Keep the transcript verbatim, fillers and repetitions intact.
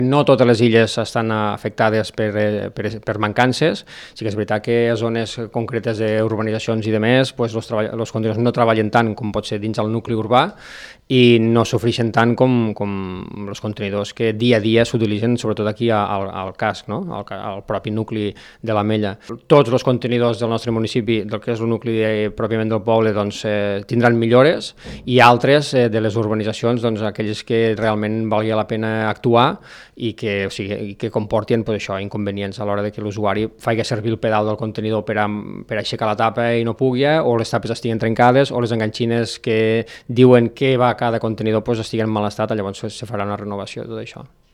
No totes les illes estan afectades per, per, per mancances. Sí que és veritat que a zones concretes d'urbanitzacions i de més, pues, els, els contenidors no treballen tant com pot ser dins el nucli urbà i no sofreixen tant com, com els contenidors que dia a dia s'utilitzen, sobretot aquí al, al casc, no? al, al propi nucli de l'Ametlla. Tots els contenidors del nostre municipi, del que és el nucli de, pròpiament del poble, doncs, eh, tindran millores, i altres eh, de les urbanitzacions, doncs, aquelles que realment valgui la pena actuar i que, o sigui, i que comportin pues, això, inconvenients a l'hora de que l'usuari faci servir el pedal del contenidor per, a, per aixecar la tapa i no pugui, o les tapes estiguin trencades, o les enganxines que diuen que va a cada contenidor pues, estiguen en mal estat, llavors se farà una renovació de tot això.